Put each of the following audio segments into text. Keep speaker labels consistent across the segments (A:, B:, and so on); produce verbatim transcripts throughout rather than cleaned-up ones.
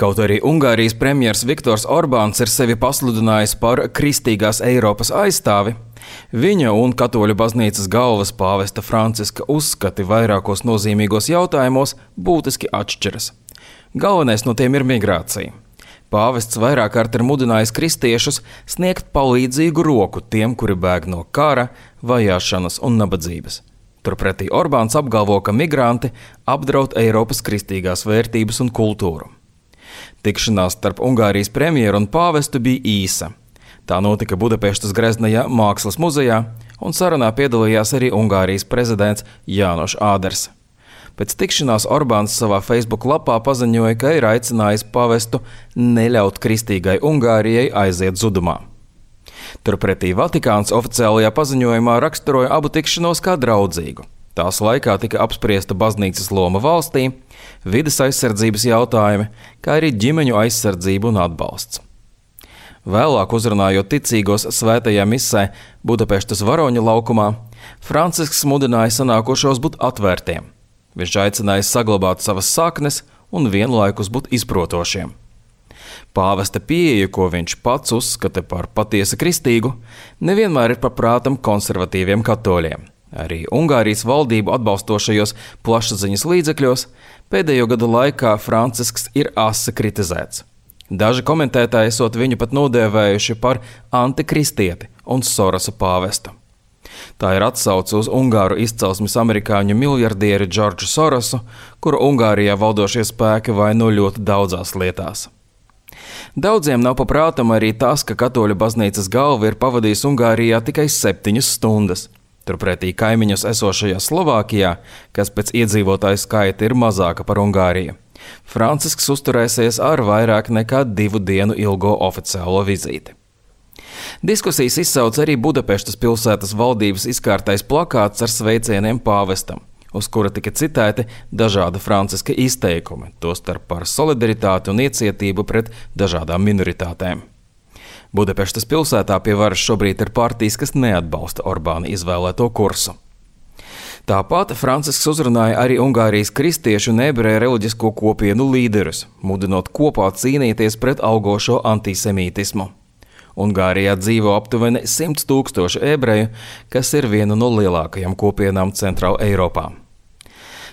A: Kaut arī Ungārijas premjers Viktors Orbāns ir sevi pasludinājis par kristīgās Eiropas aizstāvi, viņa un katoļu baznīcas galvas pāvesta Franciska uzskati vairākos nozīmīgos jautājumos būtiski atšķiras. Galvenais no tiem ir migrācija. Pāvests vairāk kārt ir mudinājis kristiešus sniegt palīdzīgu roku tiem, kuri bēg no kara, vajāšanas un nabadzības. Turpretī Orbāns apgalvo, ka migranti apdraud Eiropas kristīgās vērtības un kultūru. Tikšanās starp Ungārijas premjeru un pāvestu bija īsa. Tā notika Budapeštas Greznajā Mākslas muzejā, un sarunā piedalījās arī Ungārijas prezidents Jānoš Āders. Pēc tikšanās Orbāns savā Facebook lapā paziņoja, ka ir aicinājis pāvestu neļaut kristīgai Ungārijai aiziet zudumā. Turpretī Vatikāns oficiālajā paziņojumā raksturoja abu tikšanos kā draudzīgu. Tās laikā tika apspriesta baznīcas loma valstī, vides aizsardzības jautājumi, kā arī ģimeņu aizsardzība un atbalsts. Vēlāk uzrunājot ticīgos svētajā misē Budapeštas Varoņu laukumā, Francisks mudināja sanākošos būt atvērtiem. Viņš aicināja saglabāt savas saknes un vienlaikus būt izprotošiem. Pāvesta pieeja, ko viņš pats uzskata par patiesi kristīgu, nevienmēr ir paprātam konservatīviem katoļiem. Arī Ungārijas valdību atbalstošajos plašsaziņas līdzekļos pēdējo gadu laikā Francisks ir asi kritizēts. Daži komentētāji esot viņu pat nodēvējuši par antikristieti un Sorosa pāvestu. Tā ir atsauce uz ungāru izcelsmes amerikāņu miljardieri Džordžu Sorosu, kuru Ungārijā valdošie spēki vaino ļoti daudzās lietās. Daudziem nav paprātam arī tas, ka katoļu baznīcas galva ir pavadījis Ungārijā tikai septiņas stundas. Turpretī kaimiņos esošajā Slovākijā, kas pēc iedzīvotāju skaita ir mazāka par Ungāriju, Francisks uzturēsies ar vairāk nekā divu dienu ilgo oficiālo vizīti. Diskusijas izsauc arī Budapeštas pilsētas valdības izkārtais plakāts ar sveicieniem pāvestam, uz kura tika citēti dažādi Franciska izteikumi, tostarp par solidaritāti un iecietību pret dažādām minoritātēm. Budapeštas pilsētā pie varas šobrīd ir partijas, kas neatbalsta Orbāna izvēlēto kursu. Tāpat Francisks uzrunāja arī Ungārijas kristiešu un ebreju reliģisko kopienu līderus, mudinot kopā cīnīties pret augošo antisemītismu. Ungārijā dzīvo aptuveni simts tūkstoši ebreju, kas ir viena no lielākajām kopienām Centrāla Eiropā.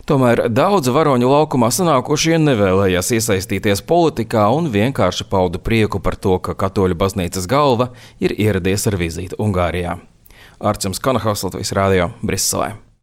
A: Tomēr daudzi Varoņu laukumā sanākošie nevēlējās iesaistīties politikā un vienkārši pauda prieku par to, ka katoļu baznīcas galva ir ieradies ar vizīti Ungārijā. Arčuns Kanahaus, Latvijas radio, Briselē.